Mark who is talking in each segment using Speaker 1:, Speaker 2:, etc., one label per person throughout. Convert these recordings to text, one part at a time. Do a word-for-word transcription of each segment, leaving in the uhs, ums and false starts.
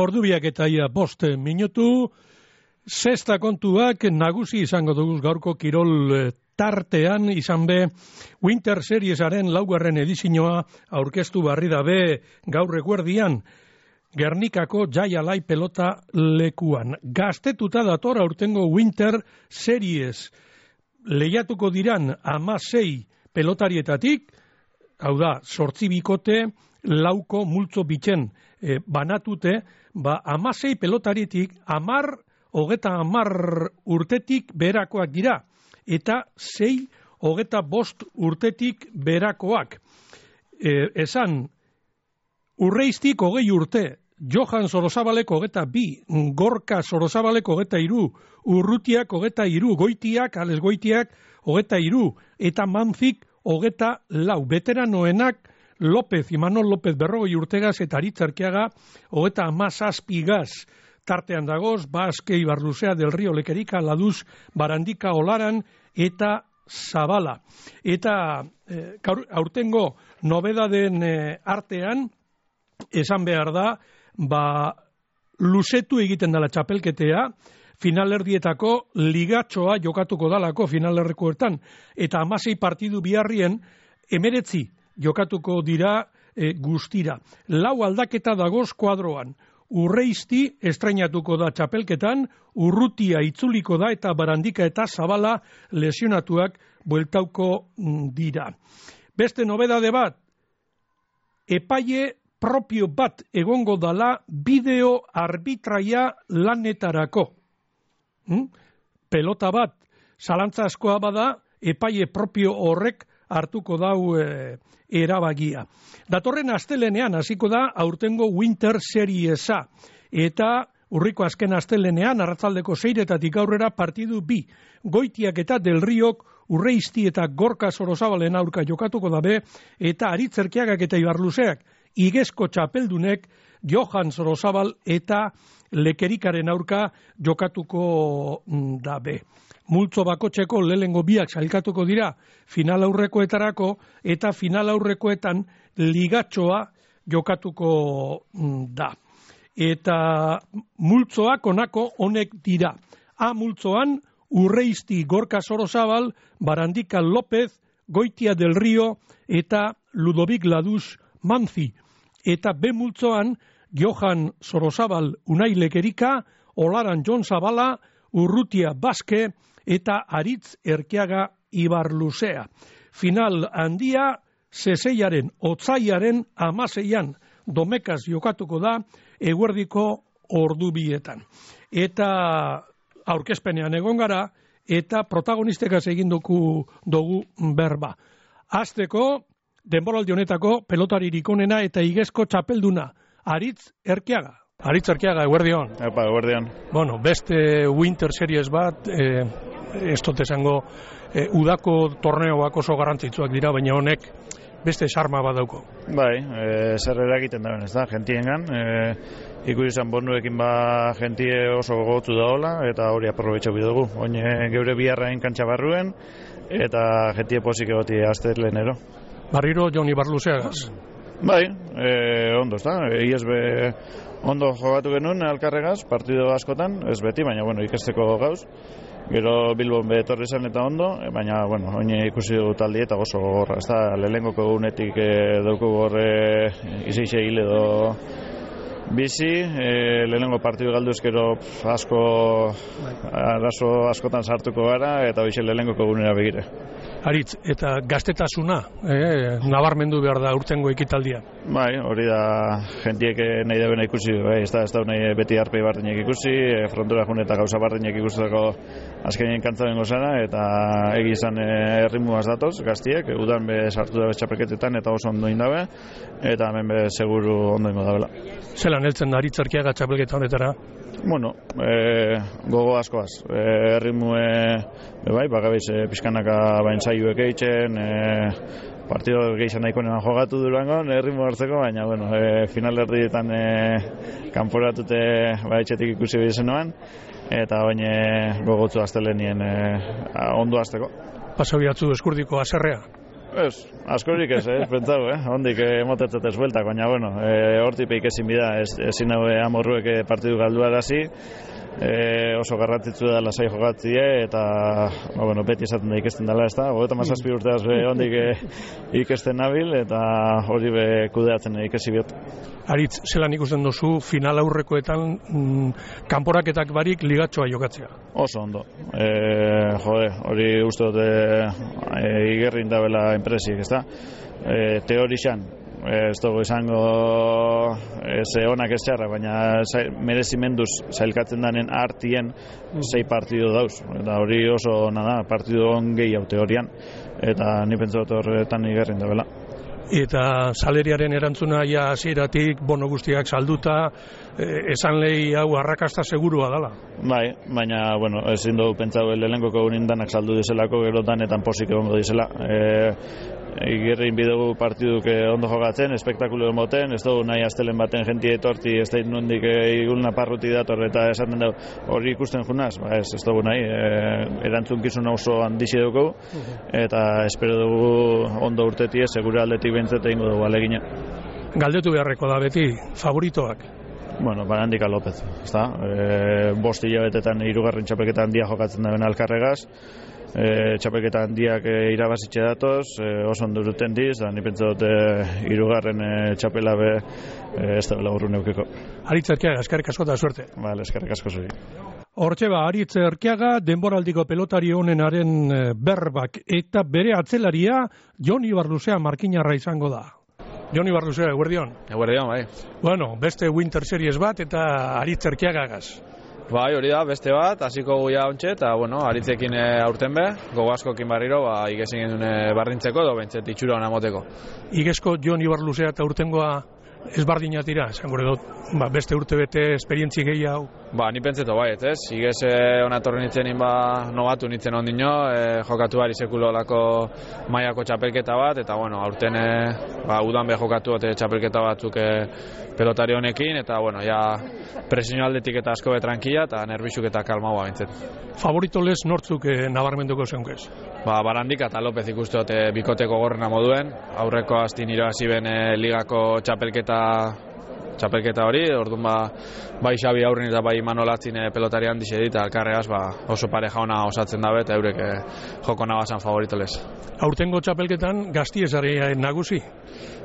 Speaker 1: Ordubiak eta ia bost minutu, sexta kontuak nagusi izango dugu gaurko kirol tartean, izan be Winter Seriesaren laugarren edizioa aurkeztu barri dabe gaur eguerdian Gernikako Jai Alai pelota lekuan. Gaztetuta dator aurtengo Winter Series. Lehiatuko diran hamasei pelotarietatik, hau da, zortzi bikote, lauko multzo bitzen e, banatute, ba, hamasei pelotaritik, amar, hogeta amar urtetik berakoak dira, eta sei, hogeta bost urtetik berakoak. E, esan, Urreiztik hogei urte, Johan Sorozabalek hogeta bi, Gorka Sorozabalek hogeta iru, Urrutiak hogeta iru, Goitiak, Ales Goitiak hogeta iru, eta Manzik hogeta lau. Veteranoenak López, Imanol López berrogei urtegaz eta Aritzarkiaga hogeta amazazpigaz. Tartean dagoz, Baske, Ibarluzea, Del Rio, Lekerika, Laduz, Barandika, Olaran eta Zabala. Eta eh, aurtengo nobedaden eh, artean, esan behar da, ba, luzetu egiten dela txapelketea, finalerdietako ligatxoa jokatuko dalako finalerrekoetan, eta hamasei partidu biharrien emeretzi jokatuko dira e, guztira. Lau aldaketa dagoz kuadroan. Urreizti estrainatuko da txapelketan, Urrutia itzuliko da eta Barandika eta Zabala lesionatuak bueltauko dira. Beste nobedade bat, epaile propio bat egongo dala bideo arbitraia lanetarako. Hmm? Pelota bat, zalantza askoa bada, epaile propio horrek hartuko dau e, erabagia. Datorren astelenean hasiko da aurtengo Winter Seriesa. Eta urriko azken astelenean, arratzaldeko seiretatik aurrera partidu bi. Goitiak eta Del Riok, Urreizti eta Gorka Sorozabalen aurka jokatuko dabe, eta Aritzerkiagak eta Ibarluzeak, Igezko txapeldunek Johan Sorozabal eta Lekerikaren aurka jokatuko dabe. Multzo bakotxeko lehengo biak sailkatuko dira final aurrekoetarako eta final aurrekoetan ligatxoa jokatuko da. Eta multzoak onako honek dira. A multzoan Urreizti Gorka Sorozabal, Barandika López, Goitia Del Rio eta Ludovic Laduz Manzi. Eta B multzoan Johan Sorozabal Unai Lekerika, Olaran Jon Zabala, Urrutia Baske eta Aritz Erkiaga Ibarluzea. Final handia seseiaren, otzaiaren amaseian domekaz jokatuko da eguerdiko ordubietan. Eta aurkezpenean egon gara eta protagonistekaz egin dugu, dugu berba. Azteko, denboraldi honetako pelotaririk onena eta igezko txapelduna, Aritz Erkiaga. Aritz Erkiaga, eguerdion.
Speaker 2: Epa, eguerdion.
Speaker 1: Bueno, beste Winter Series bat, eh, ez dut esango, eh, udako torneoak oso garrantzitsuak dira, baina honek beste sarma bat dauko.
Speaker 2: Bai, e, zer eragiten da, ez da, gentiengan. E, Iku izan bonduekin ba gentie oso gogotu da hola, eta hori aprobetxau bidugu. Oine geure biharrain kantxa barruen, eta gentie posik egoti azterlenero.
Speaker 1: Barriro Jon Ibarluzeagaz.
Speaker 2: Bai, e, ondo, ez da. Iez be ondo jogatu genuen alkarregaz, partido askotan, ez beti, baina bueno, ikesteko gauz. Gero Bilbon betorri zen eta ondo, baina bueno, oine ikusi dugu taldi eta oso gorra. Ez da, lehengoko egunetik e, dauku gorre izixe hil edo bizi, e, lehenengo partidu galduzkero asko, arazo askotan sartuko gara, eta hoxe lehenengoko egunera begire.
Speaker 1: Aritz, eta gaztetasuna, eh, nabarmendu behar da urtengo ekitaldia.
Speaker 2: Bai, hori da jentiek nahi dabena ikusi, bai, ez da, ez da nahi beti arpei bardinek ikusi, e, frontura jun eta gauza bardinek ikusteko azkenien kantzaren gozara, eta egi izan e, errimuaz datoz, gaztiek, udan be sartu dabe txapelketetan eta oso ondo indabe, eta hemen be seguru ondo ingo dabela.
Speaker 1: Zelan heltzen da Aritz Erkiaga txapelketa honetara?
Speaker 2: Bueno, e, gogo askoaz, e, errimue, e, bai, bagabiz e, pizkanaka bain zaiuek eitzen, e, partido gehizan nahiko neman jogatu durangon, errimu hartzeko, baina, bueno, e, final erdietan e, kanporatute baitxetik ikusi behizen noan, eta baina gogotzu aztelenien e, ondo azteko.
Speaker 1: Paso bihatzu eskurdiko aserrea?
Speaker 2: Ez, askorik ez, eh, pentsau, eh? Hondik emotetzat ez bueltak, baina, bueno, e, hortipeik ezin bida, ez, ezin hau amorruek partidu galduarazi, e, oso garrantzitsu da lasai jokatzie, eta, ba, bueno, beti esaten da ikesten dela, ez da, hogeita mazazpi urteaz be hondik e, ikesten nabil, eta hori be kudeatzen ikesi biot.
Speaker 1: Aritz, zelan ikusten duzu, final aurrekoetan mm, kanporaketak barik ligatxoa jokatzea? Oso
Speaker 2: ondo. E, jode, hori uste dut e, e, igerrin dabela enpresik, ez da? E, teorixan, e, ez dugu izango ze onak ez txarra, baina merezimenduz zailkatzen danen artien sei partidu dauz. Eta hori oso ona da, partidu on gehiago teorian, eta ni pentsa dut horretan igerrin dabela.
Speaker 1: Eta saleriaren erantzuna ja hasieratik bono guztiak salduta, eh, esan lehi hau arrakasta segurua dela.
Speaker 2: Bai, baina, bueno, ezin dugu pentsau lehenkoko unindanak saldu dizelako, gero danetan posik egongo dizela. E, Igerrin bidegu partiduk ondo jokatzen, espektakulo emoten, ez dugu nahi astelen baten jenti etorti, ez da nondik igulna parruti dator, eta esaten dugu hori ikusten junaz, ba ez, ez dugu nahi, e, erantzunkizun oso handizi dugu, eta espero dugu ondo urtetie, segura aldetik bentzete ingo dugu alegina.
Speaker 1: Galdetu beharreko da beti, favoritoak?
Speaker 2: Bueno, Barandika López, ezta? E, bost hilabetetan hirugarren txapelketa handia jokatzen da ben Alkarregaz, e, txapelketa handiak e, irabazitxe datoz, e, oso ondo uruten diz, da ni pentsa dut hirugarren e, txapela be e, ez da bela urrun eukiko.
Speaker 1: Aritz Erkiaga, eskerrik asko da suerte.
Speaker 2: Vale, eskerrik asko zuri.
Speaker 1: Hortxe ba, Aritz Erkiaga, denboraldiko pelotari honenaren berbak, eta bere atzelaria Jon Ibarluzea markinarra izango da. Jon Ibarluzea, eguerdion.
Speaker 3: Eguerdion, bai.
Speaker 1: Bueno, beste Winter Series bat eta Aritz Erkiagagaz.
Speaker 3: Bai, hori da, beste bat, hasiko guia ontsa, eta, bueno, Aritzekin e, aurten be, gogo askokin barriro, ba, igezin genuen e, barrintzeko, do bentzet itxura hona moteko.
Speaker 1: Igezko Jon Ibarluzea eta urtengoa ezbardina tira, esan gure dut, ba, beste urte bete esperientzi gehiago.
Speaker 3: Ba, ni pentseto bai, ez, igez e, ona torren nitzen ba, nogatu nitzen ondino, e, jokatu bari sekulo lako maiako txapelketa bat, eta, bueno, aurten e, ba, udan be jokatu bat txapelketa batzuk e, pelotari honekin, eta, bueno, ja presinio aldetik eta asko be tranquila, eta nerbizuk eta kalmaua bintzet.
Speaker 1: Favorito lez nortzuk e, nabarmenduko zeunkez?
Speaker 3: Ba, Barandika eta López ikusteot e, bikoteko gorrena moduen, aurreko astin irabazi ben e, ligako txapelketa txapelketa hori, orduan ba, bai Xabi aurrin eta bai Manolatzin e, pelotari handi edita Alkarregaz ba, oso pareja ona osatzen dabe eta eurek e, joko nabazan favorito lez.
Speaker 1: Aurtengo txapelketan gaztiezari nagusi?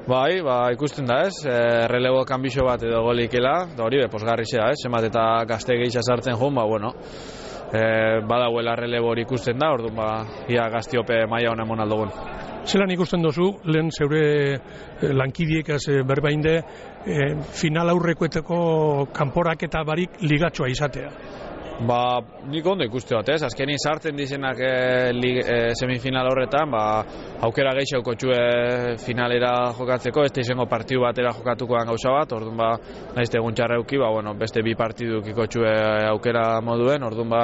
Speaker 3: Bai, ba, ikusten da ez, e, relebo kanbixo bat edo golikela, da hori be, posgarri zea ez, emat eta gazte gehitza sartzen joan, ba, bueno, e, badauela relebo hori ikusten da, orduan ba, ia gaztiope maila hona emon aldogun.
Speaker 1: Zelan ikusten dozu, lehen zeure lankidiek ez berbainde, e, final aurrekoeteko kanporaketa barik ligatxoa izatea?
Speaker 3: Ba, nik ondo ikuste bat, ez? Azkenin sartzen dizenak e, li, e, semifinal horretan, ba, aukera gehiago txue finalera jokatzeko, ez da izango partidu batera jokatukoan gauza bat, orduan ba, nahizte egun txarreuki, ba, bueno, beste bi partiduk ikotxue aukera moduen, orduan ba,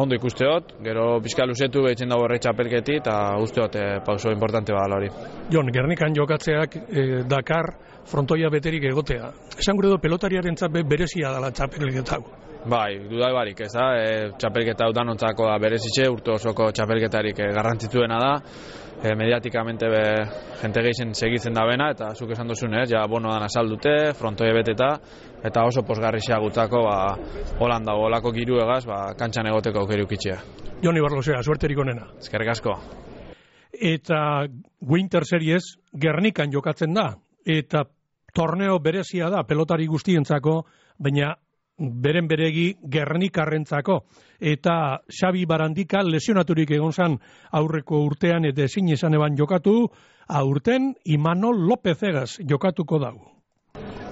Speaker 3: ondo ikusteot, gero pixka luzetu behitzen dago horre txapelketi, eta usteot e, pauso importante badala hori.
Speaker 1: Jon, Gernikan jokatzeak e, Dakar frontoia beterik egotea. Esan gure do pelotariaren txape berezia dela txapelketa.
Speaker 3: Bai, dudai barik, ez da, e, txapelketa hau danontzako da berezitxe, urte osoko txapelketarik e, garrantzitsuena da, e, mediatikamente be, jente gehizen segitzen da bena, eta zuk esan duzun, ez, ja bono dana saldute, frontoia beteta, eta oso posgarrixea gutzako, ba, Holanda, olako giru egaz, ba, kantxan egoteko aukeri ukitzea.
Speaker 1: Jon Ibarluzea, suerterik onena.
Speaker 3: Eskerrik asko.
Speaker 1: Eta Winter Series Gernikan jokatzen da, eta torneo berezia da pelotari guztientzako, baina beren beregi Gernikarrentzako, eta Xabi Barandika lesionaturik egon zan aurreko urtean eta ezin esan eban jokatu, aurten Imanol López egaz jokatuko dago.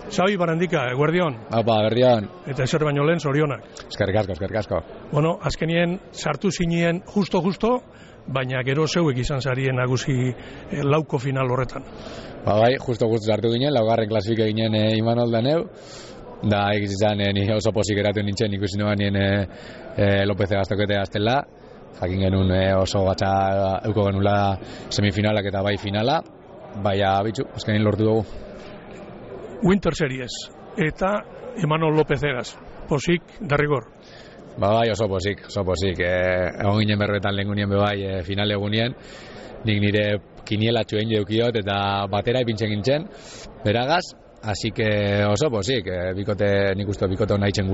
Speaker 1: Xabi Barandika, eguerdion.
Speaker 4: Apa, eguerdion.
Speaker 1: Eta ezer baino lehen zorionak.
Speaker 4: Eskerrik asko, eskerrik asko.
Speaker 1: Bueno, azkenien sartu zinien justo-justo, baina gero zeuek izan zarien nagusi eh, lauko final horretan.
Speaker 4: Ba bai, justo-justo sartu ginen, laugarren klasifike ginen e, Imanol da neu, da egizizan e, ni oso posik eratu nintzen, ikusi noan nien e, e, López egaztoketea aztela, jakin genuen e, oso batxa euko genula semifinalak eta bai finala, baina bitxu, azkenin lortu dugu.
Speaker 1: Winter Series, eta Imanol López egaz, posik, derrigor.
Speaker 4: Ba bai, oso posik, oso posik, e, egon ginen berbetan lehen gunien bebai e, finale egunien, nik nire kinielatxo egin deukiot eta batera ipintzen gintzen, beragaz, así que oso posik, bikote, nik uste bikote hona itzen